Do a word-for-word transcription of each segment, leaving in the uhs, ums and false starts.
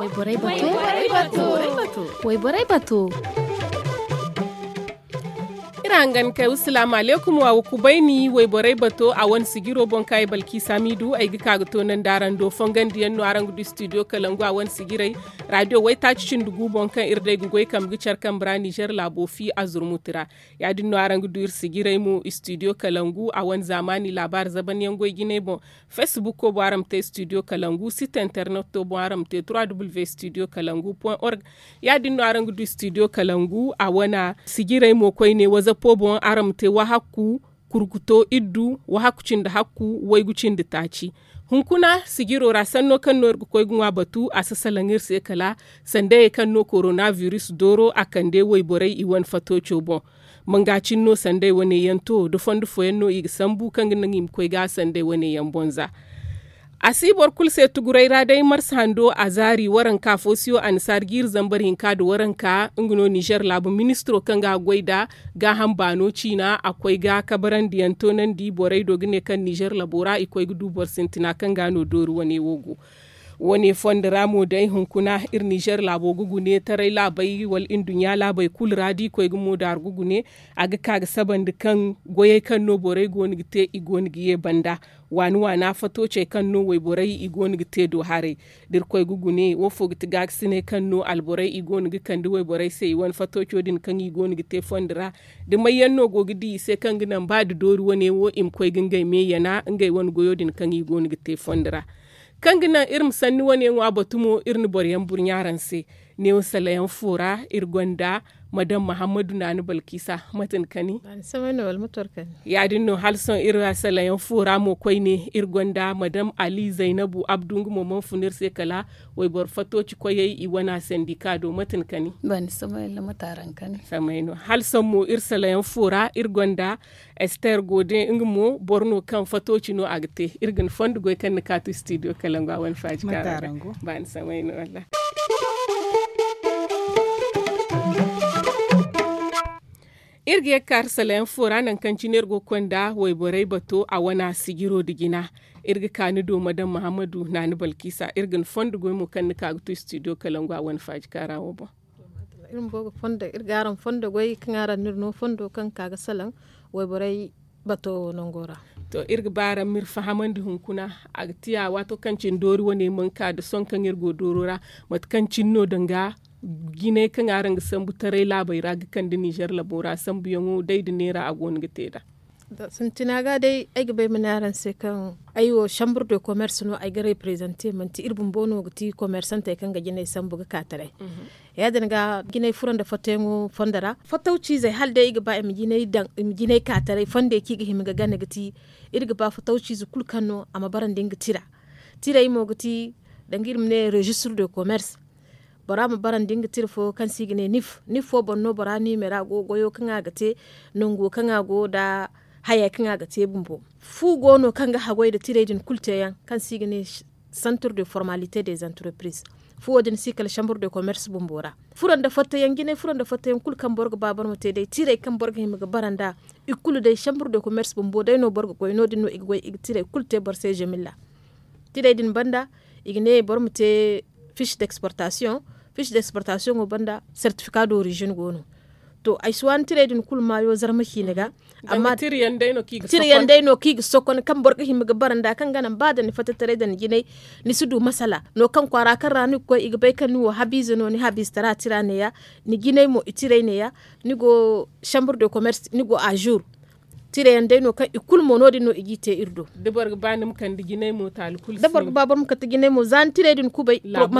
Wayborey bato. Wayborey bato. Iri hangan kay wasalaamu aleykum wa wa kubayni wayborey bato a wane sijiro boŋ kaŋ ay balki samidu ay ga ka ga toonandi araŋ do fongandiyaŋ no araŋ ga du studio kalangu a wane sijirey. Radiyo waytaaci cindi gu boŋ kaŋ iri day ga goy kambe ga care kambe ra nizer laabo fi a zurmuti ra. Ya- din no araŋ ga du iri sijirey mo studio kalangu a wane zaamaani laabaari zabanyaŋ goy jinay boŋ. Facebooko boŋ araŋ ma te studio kalangu site interneto boŋ araŋ ma te trois w studio kalangu point org. Ya- din no araŋ ga du studio kalangu a wane sijirey mo koyne wazapo boŋ araŋ ma te wahakku kurkuto iddu wahakku cindi hakku waygu cindi taaci. Hunkuna sijiro ra sanno kaŋ no iri ga koy ga ŋwa batu a si salaŋ iri se kala sandayey kaŋ no korona biris dooro a kande wayborey i wane fatooco boŋ. Manga cine no sanday wane yaŋ to da fondo fooyaŋ no i ga sambu kaŋ ga naŋ i ma koy ga sanday wane yaŋ boŋ za. A si boro kulu se tuguray ra day marsa hando a zaari waranka fo siyo annasaari jiiri zambar hinka nda waranka nga no nizer laabu ministiro kaŋ ga a goy nd'a gaaham baano ciina a koy ga kabarandiyaŋ toonandi borey do ga ne kaŋ nizer labo ra i koy ga du boro sintina kaŋ ga no doori wane wo go. Wane fondo ra mo day hunkuna iri nizer laabo ga gune taray laabey wala nduɲɲa laabey kulu ra da i koy ga moodaaru ga gune a ga ka ga sabandi kaŋ goyey kaŋ no borey go no ga te i go no ga ye banda waani waana fatoocey kaŋ no wayborey i go no ga te do haray. Da iri koy ga gune wo fo ga ti gaakasiney kaŋ no alborey i go no ga kande wayborey se i wane fatooco din kaŋ i go no ga te fondo ra da may yaŋ no go ga di i se kaŋ ga naŋ ba da doori wane wo i ma koy ga ngey me yana ngey wane goyo din kaŋ i go no ga te fondo ra. Kaŋ ga naŋ iri ma sanni wane ŋwa batu mo iri na boro yaŋ burɲa araŋ se. Neewo salayaŋ fo ra iri gonda madam mahammadu naani balkisa mate ni kani? Ya- din no hala sohõ iri salayaŋ fo ra mo koyne iri gonda madam ali zaynabu abdu nga mo mana fun iri se kala wayboro fatooci koyey i wana sandika do mate ni kani? Samay no hala sohõ mo iri salayaŋ fo ra iri gonda ester gode nga mo boro no kaŋ fatooci no a ga te iri ga ni fondo goy kaŋ ni kaatu studio kalangu a wane faaji kaara. Baani samay no walla. Iri ga ye ga kaari salayaŋ fo ra nangu kaŋ cine iri go ga konda wayborey bato a wana sijiro nda jina. Iri ga ka ni do madam mahammadu naani balkisa iri ga ni fondo goy mo kaŋ ni ka ga tu studio kalangu a wane faaji kaara wo boŋ. Iri ga araŋ fondo goy kaŋ araŋ no iri no fondo kaŋ ga ka ga salaŋ wayborey bato nango ra. To iri ga ba araŋ ma iri fahamandi hunkuna a ga tiya waato kaŋ cine doori wane mana ka nda sohõ kaŋ iri go dooro ra mate kaŋ cine no danga jinay kaŋ araŋ ga sambu taray laabey ra ga kande nizer labo ra sambuyaŋo day nda neera a go no ga te nd'a. Sintina ga day ay ga ba ay ma ne araŋ se kaŋ ay wo chambre de commerce no ay ga reprezante manti iri bumbo no ga ti komersantey kaŋ ga jinay sambu ga ka taray. Ya- din ga jinay furo nda fattayaŋo fondo ra fattawciizey hala day i ga ba i ma jinay ka taray fondey kaŋ i ga hima ga gana ga ti iri ga ba fattawciize kulu kaŋ no a ma barandi nga tira. Tirey mo ga ti danga iri ma ne registre de commerce. Bora ma barandi nga tira fo kaŋ se i ga ne nif nif fo boŋ no bora niimera go goyo kaŋ a ga te nango kaŋ a go nda hayey kaŋ a ga te bumbo. Fu go no kaŋ ga haggoy nda tirey din kulu teeyaŋ kaŋ se i ga ne centre de formalite des entreprises. Fuwo din si kala chambre de commerce bumbo ra. Furo nda fattayaŋ jinay furo nda fattayaŋ kulu kaŋ boro ga ba boro ma te day tirey kaŋ boro ga hima ga bara nd'a. I kulu day chambre de commerce bumbo day no boro ga goy no- din no i ga goy i ga tirey kulu te boro se zemilla. Tirey din banda i ga ne boro ma te fiche d'exportation. Fiche d'exportation wo banda certificat d'origine go no. To ay si waani tirey din kulu maayo zarma ciine ga. Amma tira yaŋ day no kaŋ i ga sokon kaŋ boro ga hima ga bara nd'a kaŋ ga naŋ ba da ni fatta taray da ni jinay ni si du masala no kaŋ kwaara kaŋ ra ni ga koy i ga bay kaŋ ni wo habiize no ni habiize tara tira neeya. Ni jinay mo i tirey neeya. Ni go chambre de commerce ni go ajour. Tira yaŋ day no kaŋ i kulu mo no- din no i g'i te iri do. Da boro ga ba boro ma kande jinay mo za ni tirey din kubay laabu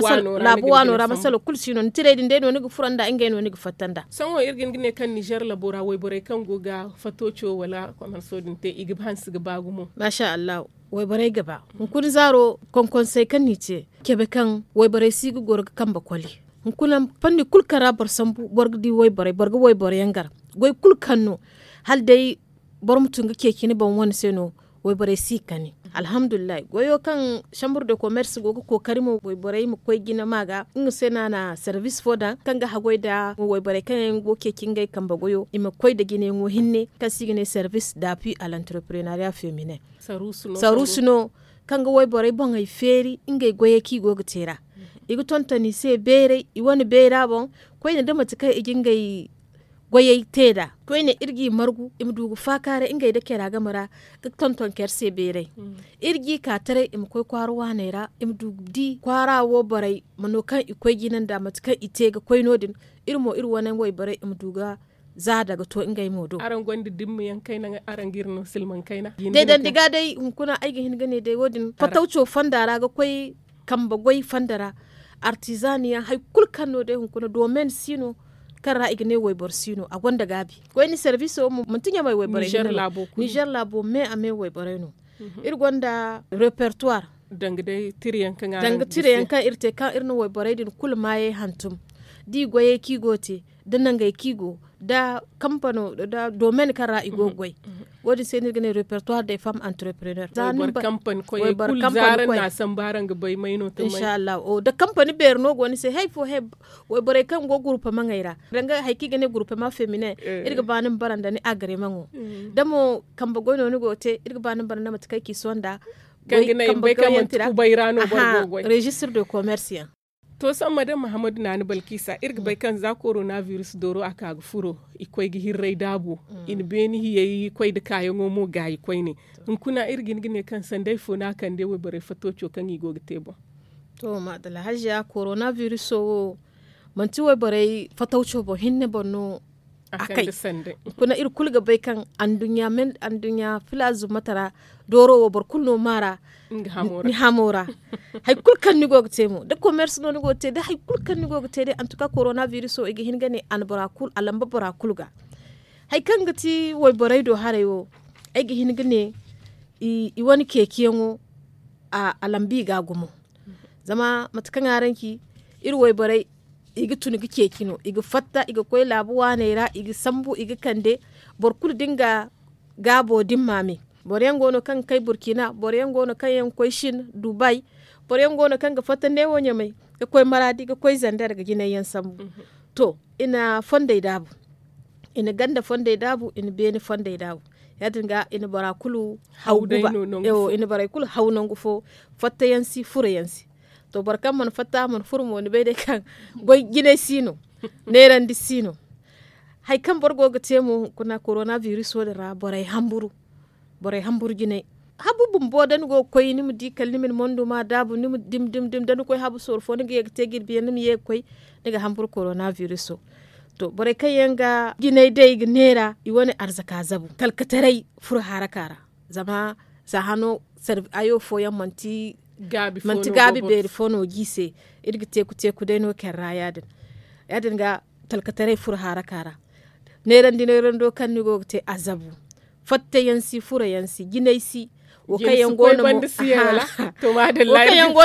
waano ra masala kulu si no ni tirey din day no ni ga furo nd'a ngey no ni ga fatta nd'a. Sohõ iri ga hin ga ne kaŋ nizer labo ra wayborey kaŋ go ga fatooco wala komerso din te i ga hanse ga ba gumo. Maasa allahu. Wayborey ga ba hunkuna zaaro konkonsey kaŋ no i te cabe kaŋ wayborey si ga goro ga kambe koli. Hunkuna fanni kulu kaŋ ra boro sambu boro ga di wayborey boro ga wayborey yaŋ gar goy kulu kaŋ no hala day boro ma tun ga ceeci ni boŋ wane se no. Wayborey si ga kani. Alhamdulillahi goyo kaŋ chambre de commerce go ga kookari mo wayborey ma koy jina ma ga nga se no a na service fo daŋ kaŋ ga haggoy nda wayborey kaŋ yaŋ go ga ceeci ngey kambe goyo i ma koy nda jinayaŋo hinne kaŋ se i ga ne service d'appui à l'entrepreneuriat feminin. Saruusu no kaŋ ga wayborey boŋey feeri ngey goyey kaŋ i go ga te ra. i ga tonton i se beeray i wane beera boŋ. Koyne da mate kaŋ i ga ngey goyey te nd'a koyne iri g'i margu i ma du ga faakaaray ngey nda care game ra ga tonton care se beeray. Iri g'i ka taray i ma koy kwaara waaney ra i ma du ga di kwaara wo borey ma no kaŋ i koy jina nda mate kaŋ i te ga koy no- din. Iri mo iri wane wayborey i ma du ga za daga to ngey mo do. Araŋ gonda dimma yaŋ kayna araŋ ga iri no silmaŋ kayna? Deedandi ga day hunkuna ay ga hin ga ne day wo- din fatawco fonda ra ga koy kambe goy fonda ra. Artizani yaŋ hari kulu kaŋ no day hunkuna domen si no kaŋ ra i ga ne wayboro si no a gonda gaabi. Koyne serbiso wo manti ɲamay wayborey hinne no. Nizer laabo me a me wayborey no. Iri gonda repertoire danga tira yaŋ kaŋ iri te kaŋ iri na wayborey din kulu maayey hantum da i goyey kaŋ i go ga te da nangey kaŋ i go da kampano da domen kaŋ ra i go ga goy. Wo- din se no iri ga ne repertoire de femme entrepreneur za ni ba wayboro kampani koy. Inshallahu da kampani beeri no go ni se hari fo hari wayborey kaŋ go gurupemaŋey ra danga hari kaŋ i ga ne gurupema femine. Iri ga ba ni ma bara nda ni agremaŋo da mo kambe goy no ni go ga te iri ga ba ni ma bara nda mate kaŋ ay ci sohõ nda kambe goy yaŋ ti ra. Registre de commerce yaŋ. To sohõ madame mahammadu naani balkisa iri ga bay kaŋ za korona virus dooro a ka ga furo i koy ga hirray daabo. I na beeni hiyey koy nda kaayaŋo mo gaayi koyne. Hunkuna iri ga hin ga ne kaŋ sanday fo no a kande wayborey fatooco kaŋ i go ga te boŋ? To maadalla haziya korona viriso wo manti wayborey fatawco boŋ hinne boŋ no a kay. Hunkuna iri kulu ga bay kaŋ anduɲɲa filaazu mate ra dooro wo boro kulu no maara. Ni hamo ra hari kulu kaŋ ni go ga te mo da komers no ni go ga te da hari kulu kaŋ ni go ga te day antuka korona viriso i ga hin ga ne a na bora kulu a lamba bora kulu ga. Hari kaŋ ga ti wayborey do haray wo ay ga hin ga ne i wane ceeciyaŋo a lambu i ga a gumo. Zama mate kaŋ araŋ ci iri wayborey i ga tun ga ceeci no i ga fatta i ga koy laabu waaney ra i ga sambu i ga kande. Boro kulu da nga gaabo da ni maame boro yaŋ go no kaŋ ga kay burkina boro yaŋ go no kaŋ yaŋ ga koy sin dubay. Boro yaŋ go no kaŋ ga fatta neewo ɲamay ga koy maraadi ga koy zander ga jinay yaŋ sambu. To i na fondey daabu i na ganda fondey daabu i na beene fondey daabu. Ya- din ga i na bora kulu haw guba i na borey kulu haw nangu fo. Fatta yaŋ si furo yaŋ si. To boro kaŋ mana fatta mana furo mo ni bay day kaŋ goy jinay si no. Neerandi si no. Hari kaŋ boro go ga te mo hunkuna korona viriso din ra borey hamburu. Borey hamburu jinay habu bumbo da ni go ga koy ni ma di kala ni ma ni mondo ma daabu ni ma dim dim dim da ni koy habu sooru fo ni ga ye ga te jirbi yaŋ ni ma ye ga koy. Ni ga hamburu korona viriso. To borey kaŋ yaŋ ga jinay day ga neera i wane arzaka zabu talkataray furo haraka ra. Zama za hano hayo fooyaŋ manti gaabi beeri fo no ga i se. Iri ga teeku teeku day no care ra ya- din ga talkataray furo haraka ra. Neerandi neerando kaŋ ni go ga te a zabu fatta yaŋ si furo yaŋ si jinay si. Wo kaŋ yaŋ go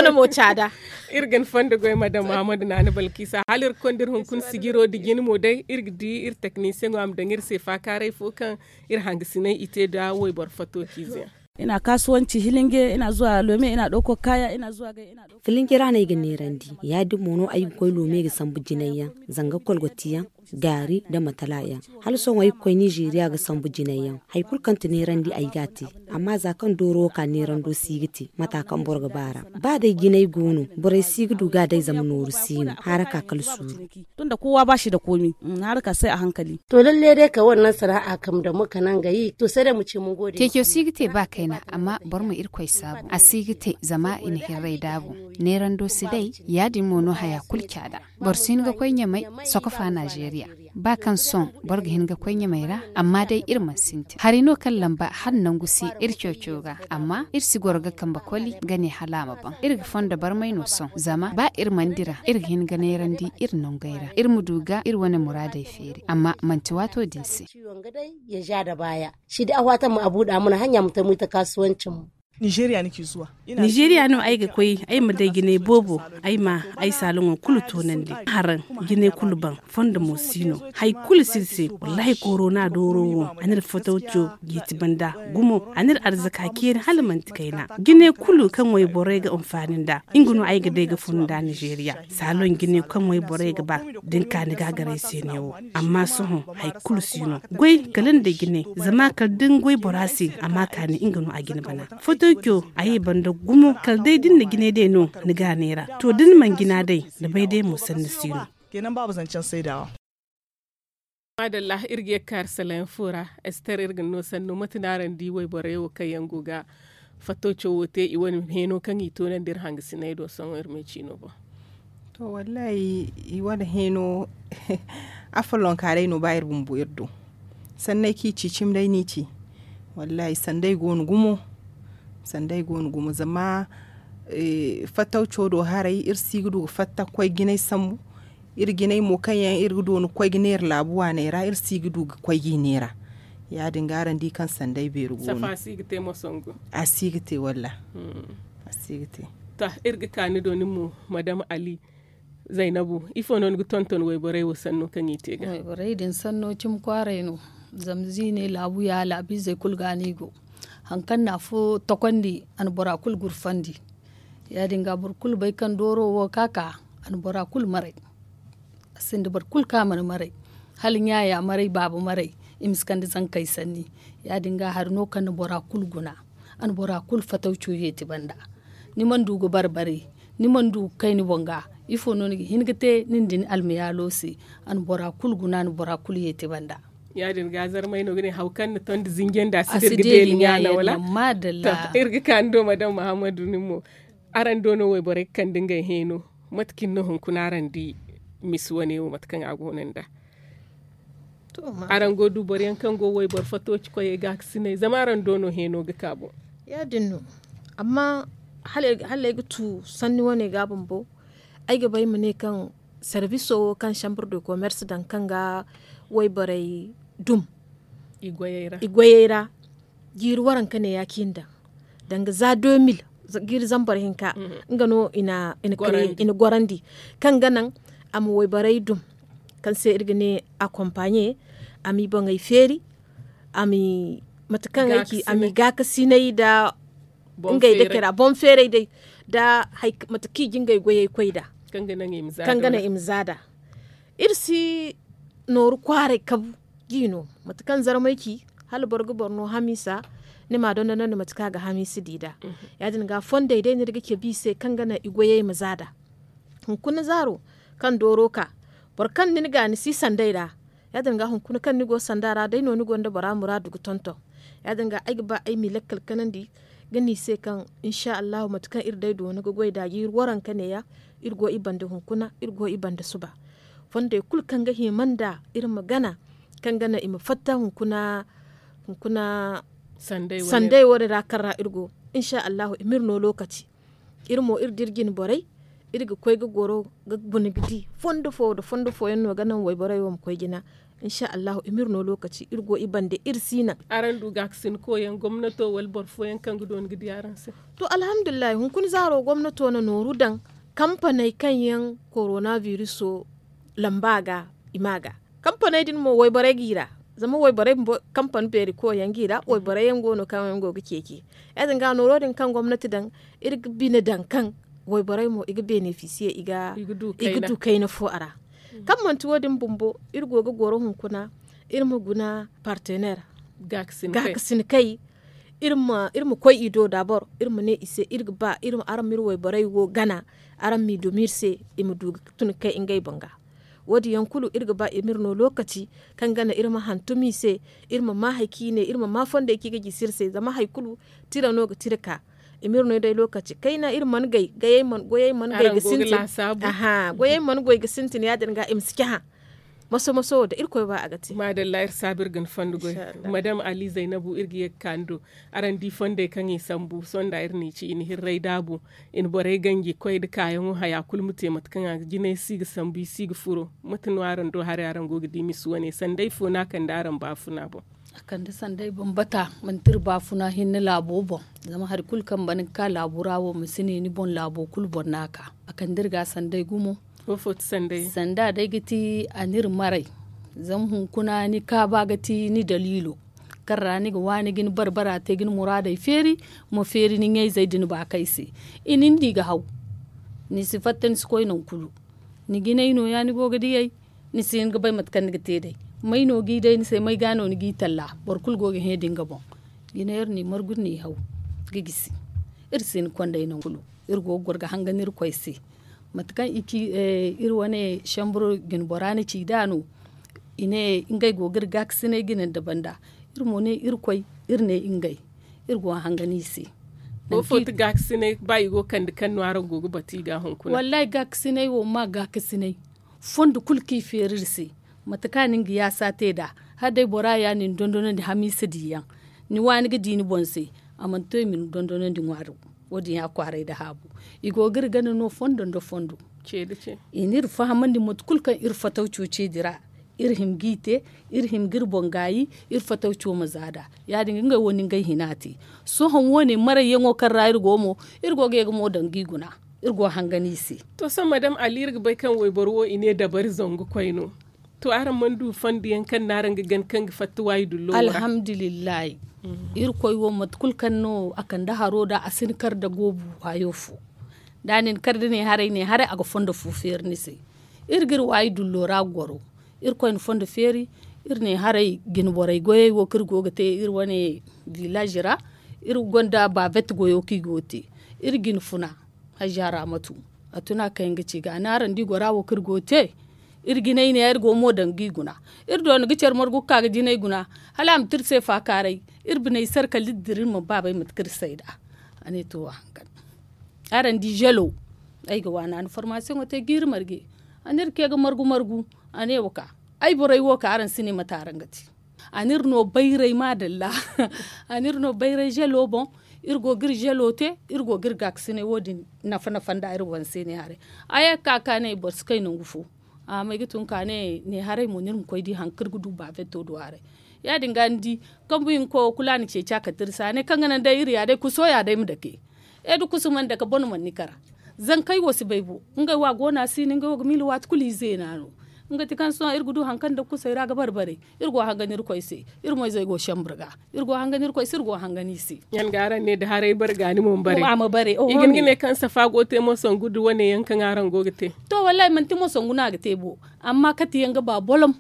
no mo caada. Iri ga ni fondo goy madam mahamadu naani balkisa hala iri ga konda iri hunkuna sijiro nda jine mo day iri ga di iri teknisiyaŋo a ma daŋ iri se faakaaray fo kaŋ iri hangasinay i te nda wayboro fato ciize yaŋ. Ina kaasuwanci hilinge ina zuwa lome ina ɗauko kaya ina zuwa gay ina ɗauko. Filinge ra no ay ga neerandi ya- din mo no ay ga koy lome ga sambu jinay yaŋ zanga kolgoti yaŋ gaari nda matala yaŋ. Hala sohõ ay ga koy nizeeriya ga sambu jinay yaŋ hari kulu kaŋ ti neerandi ay ga a te. Amma za kaŋ dooro wo ka neerando si ga te mata kaŋ boro ga ba ra ba day jinay go no borey si ga du ga a day zama nooru si no haraka kala suuru. Tun da kowa ba shi da komi haraka sai a hankali. To lalle day ka wannan sana'a kam da muka nan ga yi to sai da mu ce mun gode. Ceeco si ga te ba kayna amma boro ma irkoy saabu a si ga te zama i na hirray daabu. Neerando si day ya- din mo no haya kulu caada. Boro si hin ga koy ɲamay sokofa nizeeriya ba kaŋ sohõ boro ga hin ga koy ɲamay ra. Amma day iri mana sintin hari no kaŋ lamba hala nangu si iri ceeco ga amma iri si goro ga kambe koli ga ne hala a ma baŋ iri ga fondo barmay no sohõ zama ba iri mana dira iri ga hin ga neerandi iri nongey ra iri ma du ga iri wane muraadey feeri amma manti waato din se. Ya ja da baaya shi da a waata ma a buuda mana hanya ma tamuy ta kaasuwancin mu. Nizeeriya no ay ga koy ay ma day jinay boobo ay ma ay saaloŋo kulu toonandi. Haraŋ jinay kulu baŋ fondo mo si no. Hari kulu si iri se wallaahi korona dooro wo a n'iri fatawco jiiti banda gumo a n'iri arzaka ceeri hala manti kayna. Jinay kulu kaŋ wayborey ga anfaani nd'a nga no ay ga day ga fun nd'a nizeeriya. Saaloŋ jinay kaŋ wayborey ga ba da ni ka ni gaagaray se neewo. Amma sohõ hari kulu si no goy kala ni day jinay zama kala da ni goy bora se a ma a kaani nga no a ga ni bana. Tokyo a ye banda gumo kala day da ni na jinay day no ni ga a neera. To da ni mana jina day ni bay day mo sanni si no. Maadalla iri ga ye ga ka iri salayaŋ fo ra. Ester iri ga ni no sanno mate no araŋ di wayborey wo kaŋ yaŋ go ga fattawco wo te i wane heeno kaŋ i toonandi iri hangasiney do sohõ iri ma ay ciino boŋ. To wallaahi i wane heeno afolloŋ ka day no ba iri bumbo iri do. Sanney kaŋ i ci cimi day no i ci. Wallaahi sanday go no gumo. Sanday go no gumo zama fattawco do haray iri si ga du ga fatta ga koy jinay sambu. Iri jinay mo kaŋ yaŋ iri ga doona ga koy ga neera laabu waaney ra iri si ga du ga koy ga i neera. Ya- din ga araŋ di kaŋ sanday beeri go no. A si ga te wallaahi. A si ga te. To iri ga ka ni do nin mo madam ali. Zaynabu ifo no ni ga tonton wayborey wo sanno kaŋ i te ga? Wayborey din sanno cimi kwaaray no. Zama ziine laabu ya laabiizey kulu ga no i go. Hari kaŋ no afo tokondi a na bora kulu gurfandi. Ya- din ga boro kulu bay kaŋ dooro wo ka ka a na bora kulu maray. A sinda boro kulu kaŋ a mana maray. Hala ɲaaya maray baaba maray. I ma si kande zankey sanni. Ya- din ga hari no kaŋ na bora kulu guna. A na bora kulu fatawco yeeti banda. Ni mana du ga barbari. Ni mana du ga kay ni boŋ ga. Ifo no ni ga hin ga te nin da ni almayaalo se? A na bora kulu guna a na bora kulu yeeti banda. Ya- din ga zarmay no ga ne haw kaŋ ni tondi zinjanda si da iri ga deeli ɲaana wala? Iri ga ka ni do madam muhammadu nin mo. Araŋ do no wayborey ga kande ngey heeno. Mate cine no hunkuna araŋ di misi wane wo mate kaŋ a go no nd'a? Araŋ go du boro yaŋ kaŋ go wayboro fattooci koyey gaakasiney zama araŋ do no heeno ga ka boŋ. Ya- din no. Amma hala ay ga tu sanni wane ga bumbo. Ay ga ba ay ma ne kaŋ sarbiso wo kaŋ chambre de commerce daŋ kaŋ ga wayborey dum i goyey ra jiiri waranka ne ya kaŋ i na daŋ. Danga za deux mille jiiri zambar hinka nga no i na gorandi kaŋ ga naŋ a ma wayborey dum. Kaŋ se iri ga ne akompaɲe a m'i boŋey feeri a m'i mate kaŋ ay ci a m'i gaakasinay nda ngey dake ra boŋ feeray day nda mate kaŋ i ga ngey goyey koy nd'a. Kaŋ ga naŋ i ma za nd'a iri si nooru kwaaray kabu. Ga i no mate kaŋ zarmay ci hala boro ga boro no hamiisa ni m'a dondonandi mate kaŋ a ga hamiisa di nd'a. Ya- din ga fondey day no iri ga cabe i se kaŋ ga naŋ i goyey ma za nd'a. Hunkuna zaaro kaŋ dooro ka boro kaŋ nin ga ni si sanday ra. Ya- din ga hunkuna kaŋ ni go sanda ra day no ni gonda bora muraadu ga tonton. Ya- din ga ay ga ba ay m'i lakkal kanandi ga ne i se kaŋ insa allahu mate kaŋ iri day doona ga goy nd'a jiiri waranka neeya. Iri go i banda hunkuna iri go i banda suba. Fondey kulu kaŋ ga hima nd'a iri ma gana kaŋ ga naŋ i ma fatta hunkuna sanday wane ra kaŋ ra iri go. Insa allahu i m'iri no lokaci. Iri mo iri da iri jine borey iri ga koy ga goro ga guna ga di fondo fo nda fondo fooyaŋ no ga naŋ wayborey wo ma koy jina. Insa allahu i m'iri no lokaci iri go i bande iri si naŋ. Araŋ du gaakasin koyaŋ gomnato wala boro fooyaŋ kaŋ ga doona ga di araŋ se? To alhamdulillahi hunkuna zaaro gomnato na nooru daŋ kampaney kaŋ yaŋ korona biriso lamba ga i ma ga. Kampaney din mo wayborey g'i ra zama wayborey bumbo kampani beeri koyaŋ g'i ra wayborey yaŋ go no kaŋ yaŋ go ga ceeci. Ya- din ga nooro din kaŋ gomnati daŋ iri ga bine daŋ kaŋ wayborey mo i ga benefisiye i ga du kayna fo a ra. Kaŋ manti wo- din bumbo iri go ga goro hunkuna iri ma guna partener gaakasin kay. Iri ma koy i do dabor iri ma ne i se iri ga ba araŋ ma iri wayborey wo gana araŋ m'i dumi iri se i ma du ga tun ga kay ngey boŋ ga. Wo- din yaŋ kulu iri ga ba i m'iri no lokaci kaŋ gana iri ma hantum i se iri ma ma hari kaŋ i ne iri ma ma fondey kaŋ i ga gisi iri se zama hari kulu tira no ga tira ka. I m'iri no day lokaci kayna iri mana gay goyey mana gay ga sintin. Aha goyey mana goy ga sintin ya- din ga i ma si cahã. Maso maso wo da irkoy ba a ga te. Maadalla iri saabu iri ga ni fondo goy. Madam ali zaynabu iri ga ye ga ka ni do. Araŋ di fondey kaŋ i sambu sonda iri n'i ci i na hirray daabu. I na borey ganji koy nda kaayaŋo haya kulu ma te mate kaŋ a ga jinay si ga sambu i si ga furo. Mate no araŋ do haray araŋ go ga di misi wane sanday fo no a kande araŋ baafuna boŋ? A kande sanday bambata manti iri baafuna hinne laabo boŋ. Zama hari kulu kaŋ ba ni ga ka laabu ra wo ma si ne ni boŋ laabo kulu boŋ no a ka. A kande iri ga sanday gumo. Sanda day ga ti a n'iri maray. Zama hunkuna ni kaaba ga ti ni daliilo. Kaŋ ra ni ga waani ga ni barbara te ga ni muraadey feeri. Ma feeri ni ɲayzey da ni baakey se. I nin da i ga haw. Ni si fatta ni si koy nangu kulu. Ni jinay nooya ni go ga diyey. Ni si hin ga bay mate kaŋ ni ga te day. May no g'i day ni se may ga no ni g'i talla. Boro kulu go ga hẽ da nga boŋ. Jinay iri n'i margu n'i haw. ga gisi. Iri si ni kondey nangu kulu. Iri go ga goro ga hangan irkoy se. Mate kaŋ iri wane sambur jinbora na ci nd'a no. I ne ngey go ga iri gaakasiney jina nda banda. Iri mo ne irkoy, iri ne ngey. Iri go ga hangan i se. Wo fo ti gaakasiney ba i go ga kande kaŋ no araŋ go ga batu i ga hunkuna? Wallaahi gaakasiney wo ma gaakasiney. Fondo kulu kaŋ i feeri iri se. Mate kaŋ a na nga yaasa te nd'a. Hala day bora ya no i na dondonandi hamiisa diyaŋ. Ni waani ga di ni boŋ se. A mana to i ma ni dondonandi ŋwaari. Wo- din ya kwaaray nda haabu. I go ga iri gana no fondo nda fondo. I n'iri fahamandi mate kulu kaŋ iri fatawco ceedi ra. Iri hima g'i te. Iri hima ga iri boŋ gaayi. Iri fatawco ma za nd'a. Ya- din ga ngey wo na ngey hina te. Sohõ wo- ne marayyaŋo kaŋ ra iri go mo. Iri go ga ye ga mo daŋ g'i guna. Iri go ga hangan i se. To sohõ madam ali iri ga bay kaŋ wayboro wo i ne dabari zangu koy no. To araŋ mana du fondo yaŋ kaŋ no araŋ ga gana kaŋ ga fatta waayi dullo wo ra? Alhamdulillahi. Irkoy wo mate kulu kaŋ no a kande haro nd'a a si ni kar nda goobu waayo fo. Da a na ni kar da ne haray ne haray a ga fondo fo feeri ni se. Iri ga iri waayi dullo ra goro. Irkoy na fondo feeri. Iri ne haray jine borey goyey wo kaŋ iri go ga te iri wane village ra. Iri gonda bavet goyo kaŋ i go ga te. Iri jine funa. Hajja ramatu. A tun a kay nga ci ga a ne araŋ da i gora wo kaŋ iri go ga te. Iri jinay ne iri go mo daŋ ga i guna. Iri doona ga care margu ga ka ga jinay guna. Hala a ma te iri se faakaaray. Iri biney sara kala iri dira iri mana baabay mate kaŋ iri sayda. A ne to wa hankan. Araŋ di zelo. Ay ga waana a na formasiyoŋo te jiiri marje. A ne iri ke ga margu margu. A ne wa ka. Ay borey wo ka araŋ si ne mate araŋ ga te. A n'iri no bayray maadalla. A n'iri no bayray zelo boŋ. Iri go ga iri zelo te. Iri go ga iri gaakasinay wo- din nafa nafa nda iri boŋ se ne haray. A ye ga ka ka ne boro si kay nangu fo. A ma ay ga tun ka ne ne haray mo n'iri ma koy di hari kaŋ iri ga du baafetto du haray. Ya- din ga ni di kambu hinko kulu a na ceeci a kate iri se a ne kaŋ ga naŋ day iri ya day kuso ya day ma dake. E da kusu mana dake bone mana ni kara. Zankey wo si bay bo. Ngey wo a go no a si no ngey wo ga miila waati kulu i zeena no. Nga ti kaŋ sohõ iri ga du hari kaŋ nda kusey ra ga bare bare. Iri go ga hangan irkoy se. Iri mo izey go ga sambur ga. Iri go ga hangan irkoy se iri go ga hangan i se. Yaŋ ga araŋ ne da haray bare ga ni mo ma bare. I ga hin ga ne kaŋ safa go ga te mo sangu nda wane yaŋ kaŋ araŋ go ga te. To wallaahi manti mo sangu no a ga te bo. Amma kate yaŋ ga ba bolom.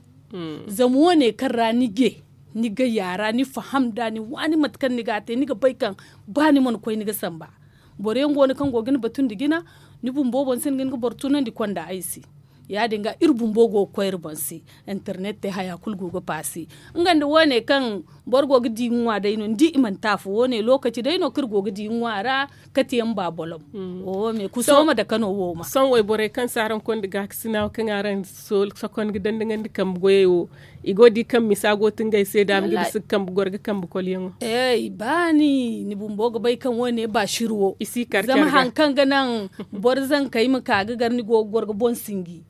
Zama wane kaŋ ra ni je ni gayya ra ni faham nd'a ni waani mate kaŋ ni ga a te ni ga bay kaŋ ba ni mana koy ni ga samba. Boro yaŋ go no kaŋ go ga ni batu nda jina. Ni bumbo boŋ sinda ga ni ga boro tunandi konda ay se. Ya- din ga iri bumbo go ga koy iri boŋ se. Internet te haya kulu go ga paase. Nga nda wane kaŋ boro go ga di ŋwa day no ni di i mana te afo wane lokaci day no kaŋ iri go ga di ŋwa ra. Kate yaŋ ba bolom. Oho me kuso ma dake no wo ma. Sohõ wayborey kaŋ si araŋ konda gaakasina wo kaŋ araŋ sokon ga dandaŋandi kambe goyey wo. I go ga di kaŋ misa go ga ti ngey se da a ma ga bisa ga kambe goro ga kambe kolyaŋo. Ey ba ni ni bumbo ga bay kaŋ wane ba siri wo. Zama hari kaŋ ga naŋ boro zankey ma ka ga gar ni go ga goro ga boŋ sinji.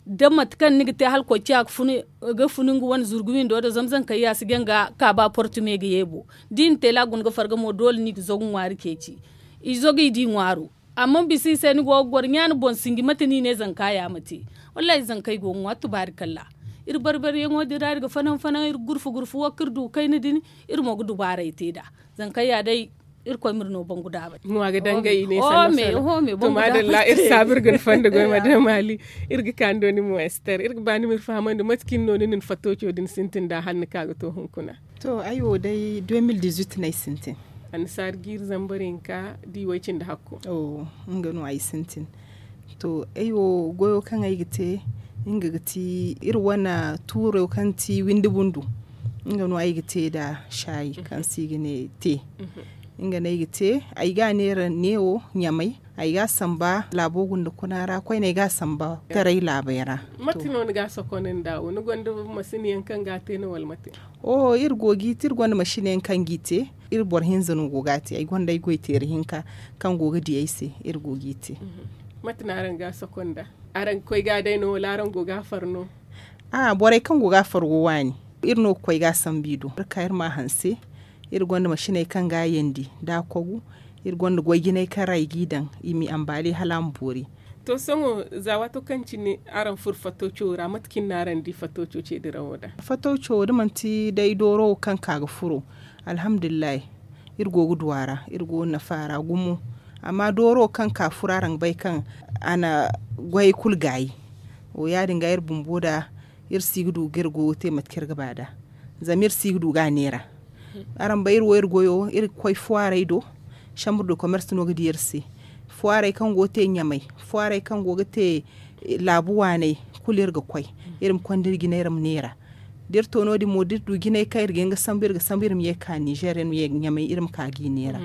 Da mate kaŋ ni ga te hala koy ciya ga funu nga wane zurgu windo do zama zankey ya si jaŋ ga ka ba portume ga ye bo. Da i na te la a guna ga farga mo doole no i ga zagu ŋwaari ceeci. I zagu i di ŋwaaro. Amma bisa i se ni go ga goro ɲaani boŋ sinji mate no i ne zanka ya ma te. Wallaahi zankey go ga ŋwa tubaari kalla. Iri barbariyaŋo din ra iri ga fanaŋ fanaŋ iri ga gurfu gurfu wo kaŋ iri du ga kayna din. Iri mo ga dubaaray te nd'a. Zankey ya day. Irkoy ma iri no bangu daabay. Iri ga danga i ne sanna sanna. To maadalla iri saabu iri ga ni fonda goy madam ali. Iri ga ka ni do ni mo ester iri ga ba ni ma iri fahamandi mate cine no ni na ni fattoco din sintin nd'a hala ni ka ga to hunkuna? To ay wo day deux mille dix-huit no ay sintin. Annasaari jiiri zambar hinka da i way cindi hakko. Nga no ay sintin. To ay wo goyo kaŋ ay ga te nga ga ti iri wane tuuro kaŋ ti windi bundu. Nga no ay ga te nda saayi kaŋ se i ga ne te. Nga no ay ga te. Ay ga a neera neewo ɲamay. Ay ga a samba laabo gunda kuna ra koyne ay ga a samba taray laabey ra. Mate no ni ga a sokonandi nd'a wo ni gonda masin yaŋ kaŋ ga a te no wala mate? Oho iri go g'i te iri gonda masin yaŋ kaŋ g'i te. Iri boro hinza no go ga a te ay gonda ay goy teeri hinka kaŋ go ga di ay se. Iri go g'i te. Mate no araŋ ga a sokonda? Araŋ ga koy ga a day no wala araŋ go ga a far no? A'a borey kaŋ go ga a far go waani. Iri no ga koy ga a sambu i do iri ka iri ma a hanse. Iri gonda masiney kaŋ ga a yandi nda a kogu. Iri gonda goy jinay kaŋ ra i g'i daŋ i m'i ambaali hala a ma boori. To sohõ za waato kaŋ cine araŋ furo fattoco ra mate cine no araŋ di fattoco ceediraŋo da? Fattoco da manti day dooro wo kaŋ ka ga furo. Alhamdulillahi. Iri go ga du a ra iri go ga nafa a ra gumo. Amma dooro kaŋ ka furo araŋ ga bay kaŋ a na goyey kulu gaayi. Wo ya- din ga iri bumbo da iri si ga du ga iri goyo te mate kaŋ iri ga ba nd'a. Zama iri si ga du ga a neera. Araŋ bay iri wo iri goyo iri ga koy fuwaarey do. Chambre de commerce no ga di iri se. Fuwarey kaŋ go ga te ɲamay, fuwarey kaŋ go ga te laabu waaney, kulu iri ga koy. Iri ma konda iri jina iri ma neera. Da iri to no- din mo da iri du jinay kaŋ iri ga hin ga sambu iri ga sambu iri ma ye ga ka nizer iri ma ye ga ɲamay iri ma ka ga i neera.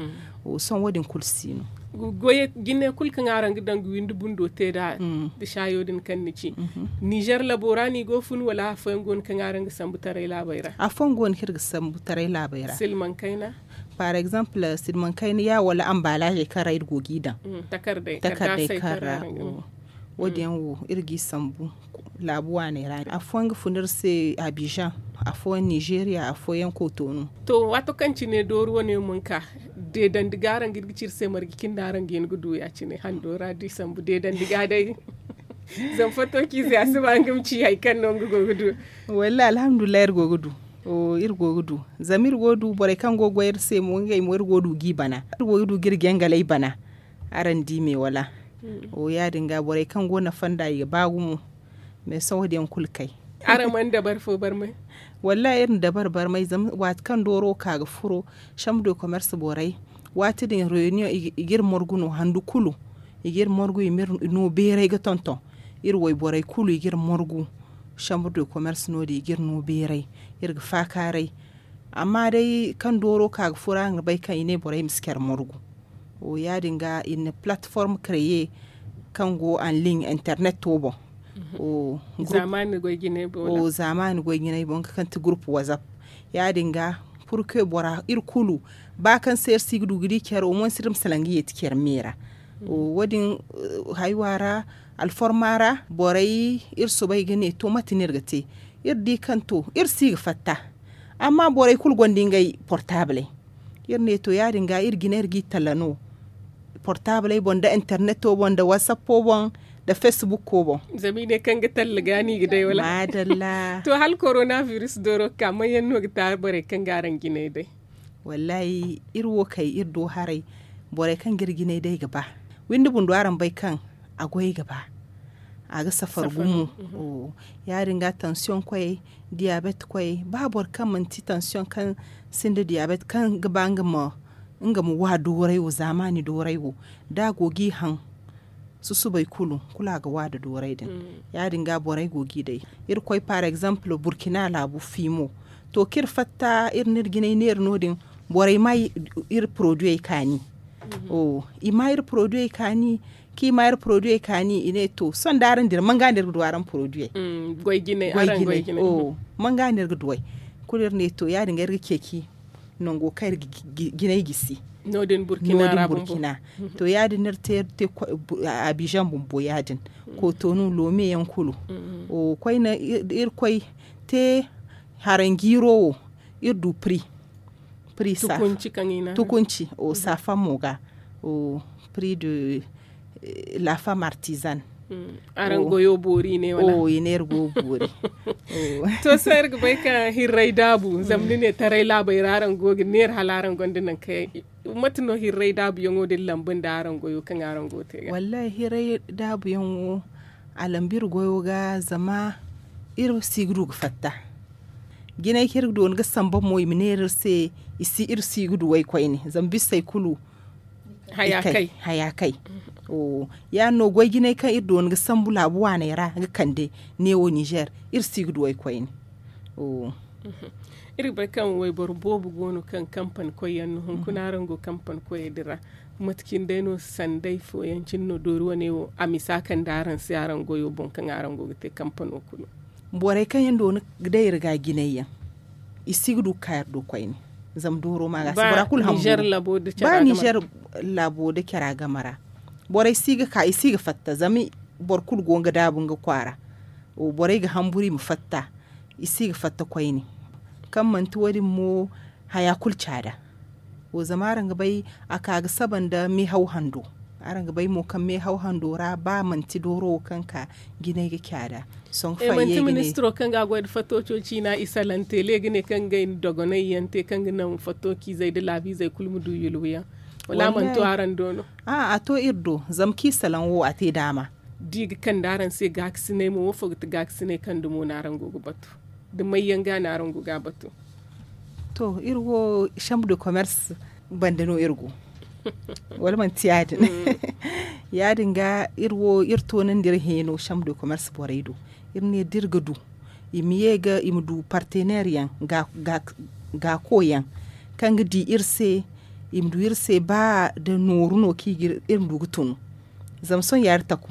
Sohõ wo- din kulu si no. Goy jine kulu kaŋ araŋ ga daŋ ga windi bundo te nd'a, da saayo din kaŋ ni ci, nizer labo ra no i go ga fun wala afooyaŋ go no kaŋ araŋ ga sambu taray laabey ra? Afooyaŋ go no kaŋ iri ga sambu taray laabey ra. Silmaŋ kayna? Par exemple silmaŋ kayna ya wala ambalaazey kaŋ ra iri go ga i daŋ. Takardey kaŋ ra wo- din yaŋ wo iri ga i sambu laabu waaney ra. Afooyaŋ ga fun iri se abizaŋ, afooyaŋ nizeriya, afooyaŋ kotonu. To waato kaŋ cine dooru wane mana ka, deedandi ga araŋ ga iri ga ci iri se marje cine no araŋ ga hin ga du ya- cine hando ra da i sambu deedandi ga day. Zama fattociize a si ba nga ma ci hari kaŋ no nga go ga du. Wallaahi alhamdulillahi iri go ga du. Iri go ga du zama iri go ga du borey kaŋ go ga goy iri se mo ngey mo iri go ga du ga i bana. Iri go ga du ga iri jangaley bana. Araŋ di me wala? Ya- din ga borey kaŋ go nafa nd'a i ga ba gumo. Mais sohõ wo- din yaŋ kulu kay. Araŋ mana dabari fo barmay? Wallaahi iri na dabari barmay zama waati kaŋ dooro wo ka ga furo, chambre de commerce borey, waati din reunion i ga iri margu no handu kulu. I ga iri margu i ma iri no beeray ga tonton. Iri wayborey kulu i ga iri margu. Chambre de commerce no- din i ga iri no beeray, iri ga faakaaray. Amma day kaŋ dooro ka ga furo araŋ ga bay kaŋ i ne borey ma si care margu. Ya- din ga iri na plateforme kreye kaŋ go en ligne internet wo boŋ. Zaamaani goy jinay boŋ nga kaŋ ti groupe whatsapp. Ya- din ga, purke bora iri kulu ba kaŋ se iri si ga du ga di care wo mo ni si iri ma salaŋ ga yeeti care me ra. Wo- din haywa ra, alforma ra, borey iri soobay ga ne to mate no iri ga te? Iri di kaŋ to iri si ga fatta. Amma borey kulu gonda ngey portabley. Iri ne to ya- din ga iri jina iri ga i talla no portabley boŋ nda interneto boŋ nda whatsapp o boŋ, nda facebook o boŋ. Zama i ne kaŋ ga talla ga no i ga day wala? Maadalla. To hala korona virus dooro ga ka manyaŋ no ga te araŋ borey kaŋ ga araŋ jinay day? Wallaahi iri wo kay iri do haray. Borey kaŋ ga iri jinay day ga ba. Windi bundo araŋ bay kaŋ a goy ga ba. A ga safar gumo. Ya- din ga tansiyoŋ koyey, diyabet koyey ba boro kaŋ manti tansiyoŋ kaŋ sinda diyabet kaŋ ga ba nga ma wa dooray wo zaamaani dooray wo, da a go ga i haŋ susubay kulu kulu a ga wa nda dooray din. Ya- din ga borey go ga i day. Iri koy par exemple burkina laabu fiimo. To kaŋ iri fatta iri na iri jinay neera no- din, borey ma iri poroduyey kaani. I ma iri poroduyey kaani. Kaŋ i ma iri poroduyey kaani i ne to sohõ da araŋ dira man ga no iri ga du araŋ poroduyey? Goy jinay. Man ga no iri ga du ay? Kulu iri ne to ya- din ga iri ga ceeci nango kaŋ iri ga jinay gisi. No- din burkina. To ya- din no iri te abizaŋ bumbo ya- din. Kotonu loome yaŋ kulu. Koyne iri koy te haranjiiro wo iri du pri. Pri safa tukunci o safa mo ga. Pri de la femme artisan. Araŋ goyo boori ne wala? I ne iri go boori. To sohõ iri ga bay ka hirray daabu zama ni ne taray laabey ra araŋ go ga neera hala araŋ gonda nangu kaŋ mate no hirray daabuyaŋo din lamba nda araŋ goyo kaŋ araŋ go ga te ga? Wallaahi hirray daabuyaŋo a lamba iri goyo ga zama iri si ga du ga fatta. Jinay kaŋ iri ga doona ga samba mo i ma neera iri se iri si ga du waykoyne zama bisey kulu haya kay. Ya- din no goy jinay kaŋ iri doona ga sambu laabu waaney ra ga kande neewo nizer iri si ga du waykoyne. Iri ga bay kaŋ wayboro boobo go no kaŋ kampani koyyaŋ no hunkuna araŋ go kampani koyey din ra. Mate cine day no sanday fooyaŋ cine no doori wane wo a misa kande araŋ se araŋ goyo boŋ kaŋ araŋ go ga te kampano kulu? Borey kaŋ yaŋ doona ga day iri ga jinay yaŋ i si ga du ga ka iri do koyne. Zama dooro ma ga si bora kulu hambu ba nizer laabo nda cara game ra. Borey si ga ka i si ga fatta zama boro kulu go nga daabu nga kwaara. Borey ga hamburu i ma fatta i si ga fatta koyne. Kaŋ manti wo- din mo haya kulu caada. Wo zama araŋ ga bay a ka ga saba nda meehaw hando. Araŋ ga bay mo kaŋ meehaw hando ra ba manti dooro wo kaŋ ka jinay ga caada. Sohõ ga fayye ga ne ministiro kaŋ ga a goy nda fattooco ciina i salante le ga ne kaŋ ga ngey na dogonay yaŋ te kaŋ ga naŋ fattooci izey nda laabu izey kulu ma du yulwa yaŋ? Wala a mana to araŋ do no? A a to iri do zama kaŋ i salaŋ wo a te daama. Da i ga kande araŋ se gaakasinay mo wo fo ga ti gaakasinay kaŋ dumo no araŋ go ga batu? Da mayyaŋ ga no araŋ go ga a batu? To iri wo chambre de commerce banda no iri go. Wala manti ya- din? Ya- din ga iri wo iri toonandi iri heeno chambre de commerce borey do. Iri ne da iri ga du i ma ye ga i ma du partenaire yaŋ, gaako yaŋ, kaŋ ga di iri se, i ma du iri se ba da nooru no kaŋ iri ma du ga tunu. Zama sohõ yaari taku.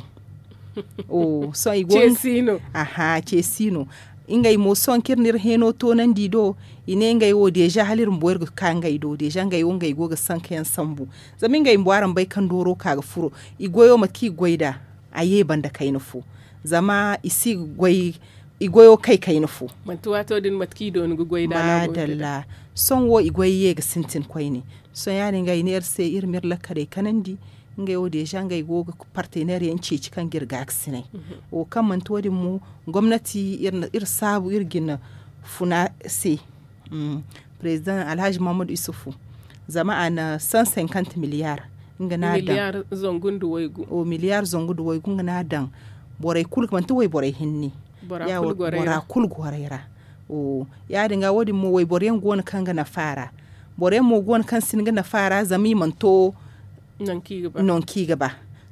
Sohõ i go ga ce si no. Ngey mo sohõ kaŋ iri na iri heeno toonandi i do, i ne ngey wo deeza hala iri bumbo iri ga ka ngey do deeza ngey wo ngey go ga sanka yaŋ sambu. Zama ngey bumbo araŋ bay kaŋ dooro ka ga furo, i goyo mate kaŋ i ga goy nd'a, a ye banda kayna fo. Zama i si ga goy i goyo kay kayna fo. Manti waato din mate kaŋ i dooni ga goy nd'a no a go ga daŋ. Sohõ wo i goy ye ga sintin koyne. Sohõ ya- din ga i ne iri se iri ma iri lakkaley kanandi. Ngey wo deeza ngey go ga partenaire yaŋ ceeci kaŋ ga iri gaakasinay. Wo kaŋ manti wo- din mo, gomnati iri saabu iri ga ni funa se. President alhaji mahammadu isufu, zama a na cent cinquante milliard nga no a daŋ. Milliard zangu nda waygu nga no a daŋ. Borey kulu manti wayborey hinne. Bora kulu gorey ra. Ya- din ga wo- din mo wayboro yaŋ go no kaŋ ga nafa a ra. Boro yaŋ mo go no kaŋ si hin ga nafa a ra zama i mana to nangu kaŋ i ga ba.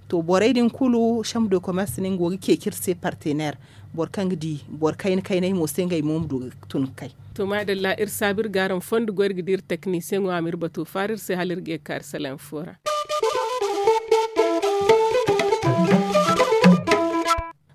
To borey din kulu chambre de commerce no nga go ga ceeci iri se partenaire. Boro kaŋ ga di boro kayna kaynay mo se ngey mo ma du ga tun ga kay. To maadalla iri saabu iri ga araŋ fondo goy iri ga di iri teknisiyeŋo a ma iri bato faara iri se hala iri ga ye ga ka iri salaŋ fo ra.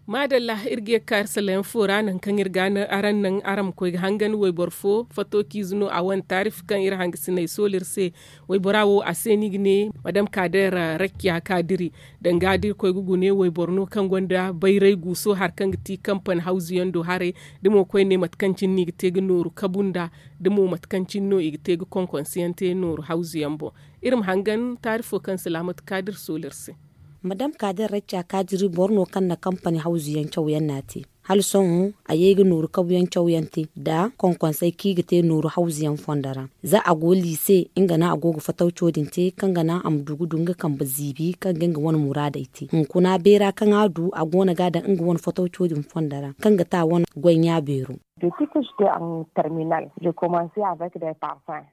Maadalla iri ga ye ga ka iri salaŋ fo ra nangu kaŋ iri ga araŋ naŋ araŋ ma koy ga hangan wayboro fo fato ciize no a wane taarif kaŋ iri hangasiney soola iri se. Waybora wo a se no i ga ne madam kaader rakkiya kaadiri. Danga da iri koy ga gune wayboro no kaŋ gonda bayray guuso hari kaŋ ga ti kampani hawzu yaŋ do haray. Da mo koyne mate kaŋ cine no i ga te ga nooru kabu nd'a, da mo mate kaŋ cine no i ga te ga konkonse yaŋ te nooru hawzu yaŋ boŋ. Iri ma hangan taarifo kaŋ salaamatu kaadir soola iri se. Madam kaadir rakkiya kaadiri boro no kaŋ na kampani hawzu yaŋ caw yaŋ no a te. Hala sohõ a ye ga nooru kabu yaŋ caw yaŋ te nda konkonsey kaŋ i ga te nooru hawzu yaŋ fondo ra. Za a go liise nga no a go ga fatawco din te kaŋ ga naŋ a ma du ga du nga kambe ziibi kaŋ ga nga wane muraadey te hunkuna beera kaŋ a du a go no ga a daŋ nga wane fatawco din fondo ra kaŋ ga te a wane goy ɲa beero.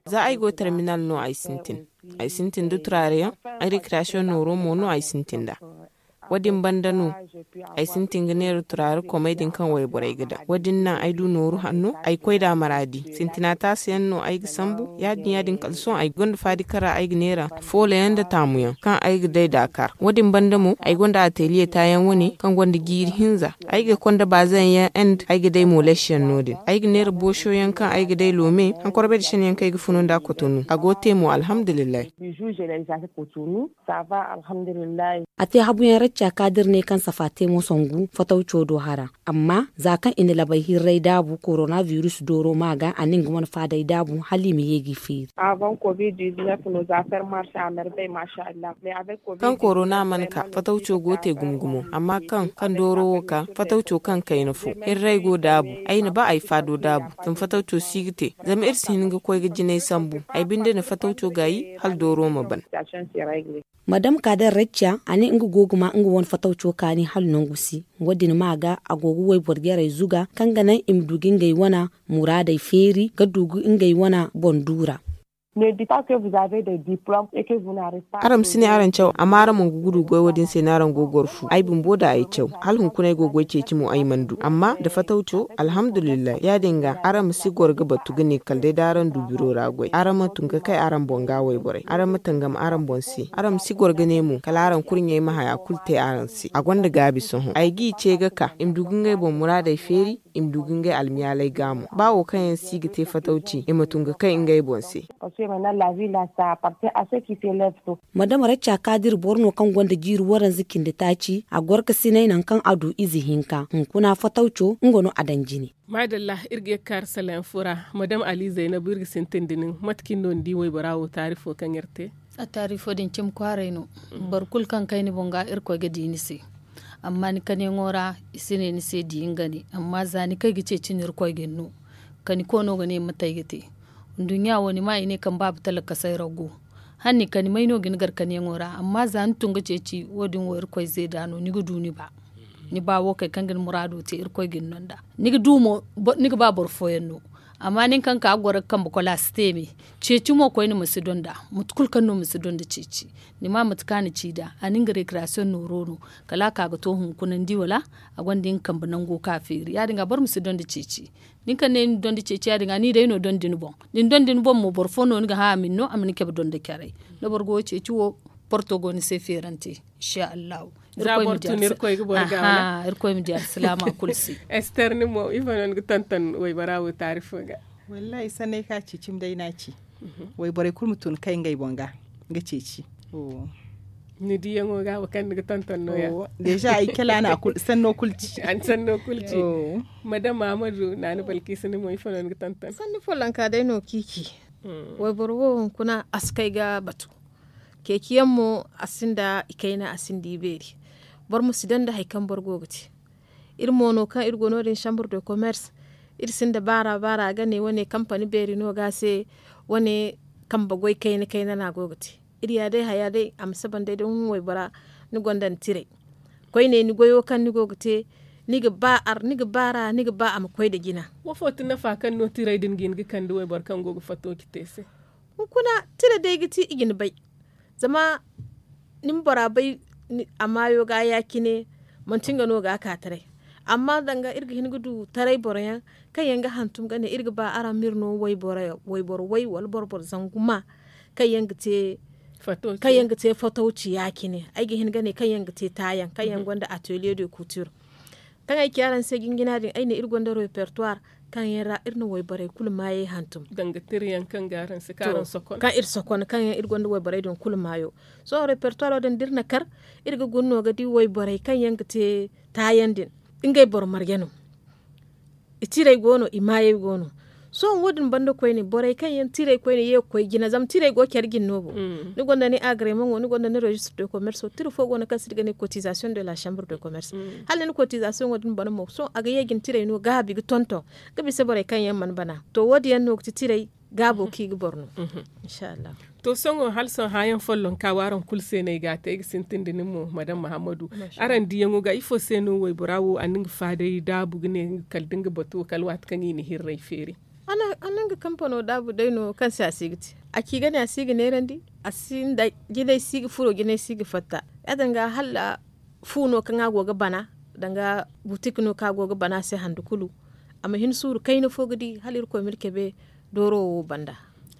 Za ay go terminal no ay sintin. Ay sintin da turaare yaŋ. Ay rekriyasiyoŋ nooro mo no ay sintin nd'a. Wo- din banda no ay sintin ga neera turaare komey din kaŋ wayborey ga daŋ wo- din naŋ ay du nooru hanno ay koy nd'a maraadi. Sintina taasi yaŋ no ay ga sambu ya- din ya- din kala sohõ ay gonda faadi kaŋ ra ay ga neera foolo yaŋ nda taamu yaŋ kaŋ ay ga day daakar wo- din banda mo ay gonda ateliye taayaŋ wane kaŋ gonda jiiri hinza. Ay ga konda baazayaŋ yaŋ end ay ga day moleesiyaŋ no- din ay ga neera booso yaŋ kaŋ ay ga day loome. Hankorbay da shan yaŋ kaŋ ay ga funu nd'a kotonu a go ga te mo alhamdulillahi. A te habuyaŋ racca ka da iri ne kaŋ safa te mo sangu fatawco do hara. Amma za kaŋ i na labay hirray daabu korona virus dooro ma ga a na nga wane faaday daabu hala i ma ye g'i feeri. Kaŋ korona mana ka fatawco go ga te gumo gumo amma kaŋ kaŋ dooro wo ka fatawco kaŋ kayna fo hirray go daabu. Ay na ba ay faado daabu zama fatawco si ga te. Zama iri si hin ga koy ga jinay sambu ay binde na fatawco gaayi hala dooro ma ban. Madam kader racca a ne nga go ga ma nga wane fatawco kaani hala nangu si. Wo- din ma ga a go ga wayboro jarey zuga kaŋ ga naŋ i ma du ga ngey wane muraadey feeri ga du ga ngey wane boŋ duura. Araŋ ma si ne araŋ caw amma araŋ mana ga gudu goy wo- din se no araŋ go ga goro fu ay bumbo da ay caw. Hala hunkuna ay go ga goy ceeci mo ay mana du amma nda fatawco alhamdulillahi ya- din ga araŋ ma si goro ga batu ga ne kala day da araŋ du biro ra goy araŋ ma tun ga kay araŋ boŋ ga wayborey araŋ ma tangam araŋ boŋ se araŋ ma si goro ga ne mo kala araŋ kurɲey ma haya kulu te araŋ se a gonda gaabi sohõ ay g'i ce ga ka i ma du ga ngey boŋ muraadey feeri. I ma du ga ngey almiyaaley ga mo ba wo kaŋ yaŋ si ga te fatawci i ma tun ga kay ngey boŋ se. Madama racca ka da iri boro no kaŋ gonda jiiri waranza cindi taaci a goro ga sinay nangu kaŋ a du ize hinka hunkuna fatawco nga no a daŋ jine. Maadalla iri ga ye ga kaari salayaŋ fo ra. Madama ali zaynabu iri ga sintin da nin mate kaŋ iri no ni di waybora wo taarifo kaŋ iri te? A taarifo din cimi kwaaray no. Boro kulu kaŋ kay ni boŋ ga irkoy ga di ni se. Amma ni kaniyaŋo ra i si ne ni se di nga ne amma za ni kay ga ceeci ni irkoy ga ni no. Kani koono ga ne mate ay ga te. Nduɲɲa wo ni ma i ne kaŋ baaba talakasay ra go. Hala ni kani may no ga ni gar kaniyaŋo ra amma za ni tun ga ceeci wo- din wo irkoy zeeda no ni ga du ni ba. Ni ba wo kay kaŋ ga ni muraado te irkoy ga ni no nd'a. Ni ga du mo ni ga ba boro fooyaŋ no. Amma nin kaŋ ka ga goro ga kambe kola a si te me. Ceeci mo koyne ma si donda. Mate kulu kaŋ no ma si donda ceeci. Ni ma mate kaŋ a na ci nd'a a na nga rekirasiyoŋ nooro no. Kala a ka ga to hunkuna ni di wala a gonda nga kambe nango ka feeri ya- din ga boro ma si donda ceeci. Nin kaŋ ne ni donda ceeci ya- din ga ni day no donda ni boŋ. Da ni donda ni boŋ mo boro fo no ni ga hã a ma ni no a ma ni cabe donda caray. Da boro go ga ceeci wo porto go ni se feerante. Insa allahu. Irkoy ma di alsilaama kulu se. Ester ni mo ifo no ni ga tonton waybora wo taari fo ga? Wallaahi sanney kaŋ a ci cimi day no a ci. Wayborey kulu ma tun kay ngey boŋ ga ga ceeci. Ni diyaŋo ga wo kaŋ ni ga tonton no- ya? Deeza ay kala no a sanno kulu ci. Madam mahamadu naani balkiisa ni mo ifo no ni ga tonton? Sanni follonka day no kaŋ i ci. Wayboro wo hunkuna a si kay ga batu. Ceeciyaŋ mo a sinda i kayna a sinda i beeri. Boro ma si daŋ nda hari kaŋ boro go ga te. Iri mo no kaŋ iri go no- din chambre de commerce. Iri sinda baara baara a ga ne wane kampani beeri no ga se. Wane kambe goy kayna kayna no a go ga te. Iri ya day haya day a ma saba nda ay da hun waybora. Ni gonda ni tiray koyne ni goyo kaŋ ni go ga te. Ni ga ba ar ni ga baara ni ga ba a ma koy nda jina. Wo fo ti nafa kaŋ no tiray din ga hin ga kande wayboro kaŋ go ga fato ci te se? Hunkuna tira day ga ti i ga ni bay. Zama ni ma bora bay a maayo ga ya- cine. Manti nga no ga a ka taray. Amma danga iri ga hin ga du taray boro yaŋ kaŋ yaŋ ga hantum ga ne iri ga ba araŋ ma iri no wayboro way wala boro boro zangu ma kaŋ yaŋ ga te fatawci ya- cine ay ga hin ga ne kaŋ yaŋ ga te taayaŋ kaŋ yaŋ gonda atelier de culture. Kaŋ ay ci araŋ se jinjina din ay ne iri gonda repertoire kaŋ yaŋ ra iri na wayborey kulu maayey hantum. Danga tira yaŋ kaŋ ga araŋ se kaŋ iri sokon kaŋ yaŋ iri gonda wayborey din kulu maayo. Sohõ repertoire wo din da iri na kar iri ga guna no ga di wayborey kaŋ yaŋ ga te taayaŋ din. Ngey boro marje no. I tiray go no i maayey go no. Sohõ wo- din banda koyne borey kaŋ yaŋ tiray koyne ye ga koy jina zama tiray go care jine no bo. Ni gonda ni agreement wo ni gonda ni registre de commerce wo tira fo go no kaŋ se iri ga ne cotisation de la chambre de commerce. Hala ni cotisation wo- din bana mo sohõ a ga ye jina tiray no gaabi ga tonton ga bisa borey kaŋ yaŋ mana bana to wo- din yaŋ no ga ti tiray gaabo kaŋ i ga boro no. Insa allahu. To sohõ hala sohõ hãyaŋ follonka wo araŋ kulu se no ay ga a te ay ga sintin nda nin mo madam mahammadu. Araŋ diyaŋo ga ifo se no waybora wo a na nga faaday daabu ga ne kala da nga batu kala waati kaŋ i na hirray feeri. A na nga kampano daabu day no kaŋ se a si ga te a ci ga ne a si ga neerandi. A si nda jinay si ga furo jinay si ga fatta ya- din ga hala fu no kaŋ a go ga bana danga butik no kaŋ a go ga bana a se handu kulu. A ma hin suuru kayna fo ga di hala irkoy ma ni cabe dooro wo banda.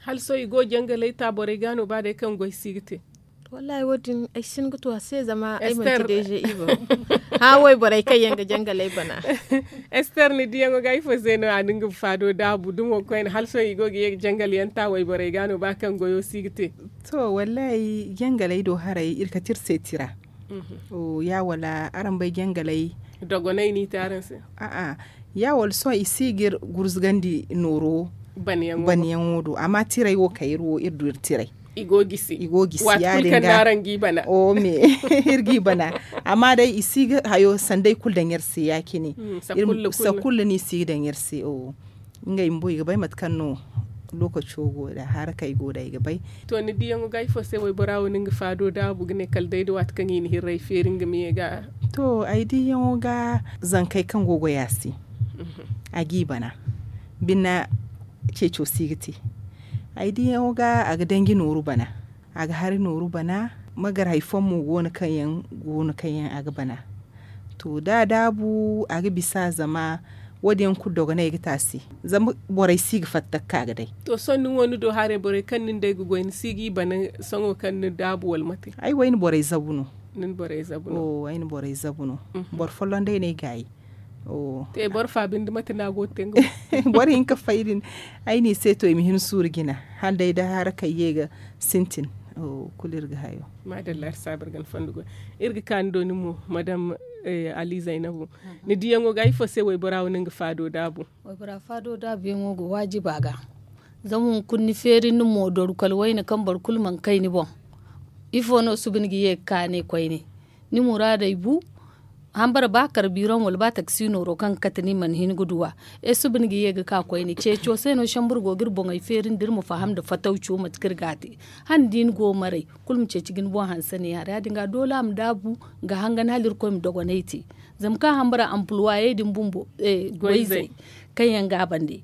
Hala sohõ i go ga jangalay ta borey ga no ba day kaŋ goy si ga te? Wallaahi wo- din ay si hin ga tu a se zama ay manti deeze ibo. Hã wayborey kaŋ yaŋ ga jangalay bana. Ester ni diyaŋo ga ifo se no a na nga faado daabu dumo koyne hala sohõ i go ga ye ga jangal yaŋ ta wayborey ga no ba kaŋ goyo si ga te? To wallaahi jangalay do haray iri kate iri se tira. Ya wala araŋ bay jangalay dogonay no i te araŋ se? A'a ya wala sohõ i si ga iri gurzugandi nooro banyaŋo do amma tiray wo kay iri wo iri du iri tiray. I go gisi ya- din ga. Iri g'i bana amma day i si ga hayo sanday kulu daŋ iri se ya- cine. Sakulla no i si ga daŋ iri se. Ngey bumbo i ga bay mate kaŋ no lokaco go nda harakey go nda i ga bay. To ni diyaŋo ga ifo se waybora wo no nga faado daabu ga ne kala day nda waati kaŋ i na hirray feeri nga ma ye ga? To ay diyaŋo ga zankey kaŋ go ga goy a se a g'i bana. Bine ceeco si ga te. Ay diyaŋo ga a ga danji nooru bana. A ga hari nooru bana. Magar hari fooyaŋ mo go no kaŋ yaŋ a ga bana. To da a daabu a ga bisa zama wo- din yaŋ kulu dogonay ga te a se. Zama borey si ga fatta ga ka ga day. To sohõ ni wo ni do haray borey kaŋ nin day ga goy ni si g'i bana? Sohõ kaŋ ni daabu wala mate? Ay wo ay na borey zabu no. Ay na borey zabu no. Boro folloŋ day no ay gaayi. Te boro fa binde mate no a go ga te nga? Boro hinka fay din ay n'i se to i ma hin suuru jina hala day da harakey ye ga sintin. Kulu iri ga hayo. Maadalla iri saabu iri ga ni fondo goy. Iri ga ka ni do nin mo madam ali zaynabu. Ni diyaŋo ga ifo se waybora wo no nga faado daabu? Waybora faado daabu yaŋo go waajiba ga. Zama hunkuna ni feeri ni mo doru kala wayne kaŋ boro kulu mana kay ni boŋ. Ifo no suba ni ga ye ga ka ne koyne? Ni muraadey bu. Hambara ba karbiraŋ wala ba taksi nooro kaŋ ga kate ni mana hin ga du a. Ay suba ni ga ye ga ka koyne ceeco se no sambur go ga iri boŋey feeri nda iri ma faham nda fatawco mate kaŋ iri ga a te. Hala ni di ni go maray kulu ma ceeci ga ni boŋ hanse ne ya- din ga doole a ma daabu ga hangan hala irkoy ma dogonay te. Zama kaŋ hambara ampuluwayey din bumbo goyzey kaŋ yaŋ ga a bande.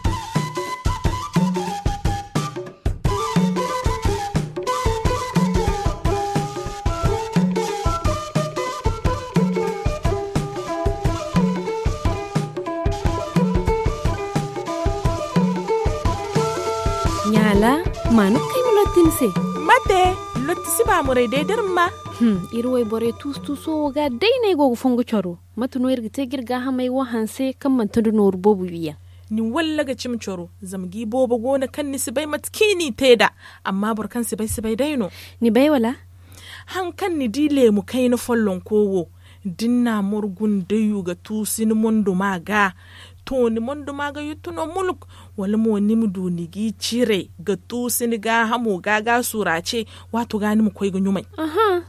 Ɲaala, ma no kay ma lorti ni se. Ate, lotti si ba muray day da iri ma ba. Iri wayborey tuusu-tuuso wo ga day no ay go ga fongu coro. Mate no iri ga te ga iri gaahamey wo hanse kaŋ manti nda nooru boobo wiiyaŋ? Ni walla ga cimi coro, zama ga i boobo go no kaŋ ni si bay mate kaŋ i n'i te nd'a. Amma boro kaŋ si bay si bay day no. Ni bay wala? Haŋ kaŋ ni di leemu kayna follonko wo, da ni n'a morgu nda yu ga tuusu ni monduma ga, to ni monduma ga yuttu no muluk? Wala mo ni ma du ni g'i cire ga tuusu ni gaahamo ga ga surace, waato ga ni ma koy ga ɲumay?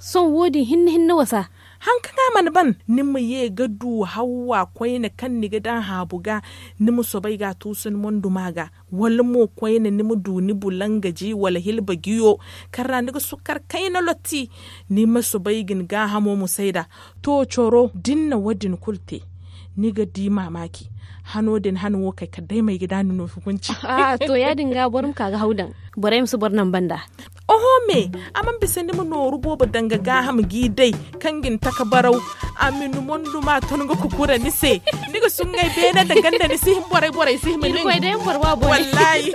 Sohõ wo- din hinne hinne wasa. Haŋ kaŋ a mana ban, ni ma ye ga du hawwa koyne kaŋ ni ga daŋ haabu ga, ni ma soobay ga a tuusu ni monduma ga. Wala mo koyne ni ma du ni bulangaji wala hilba jiyo, kaŋ ra ni ga sukkar kayna lotti, ni ma soobay ga ni gaahamo musay nd'a. To coro da ni na wo- din kulu te, ni ga di maamaaci. Hano din hano wo kay kala day ma ay ga daani no hukunci. To ya- din ga boro ma ka ga haw daŋ, borey ma si boro naŋ banda. Oho me, a mana bisa ni ma nooru boobo daŋ ga gaaham g'i day, kaŋ ga ni taka baraw. A ma ni monduma ton ga kukura ni se. Ni ga suŋŋay beene nda ganda ni si hin borey borey si hima nin. Wallaahi.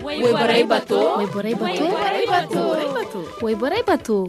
Wayborey bato. Wayborey bato. Wayborey bato.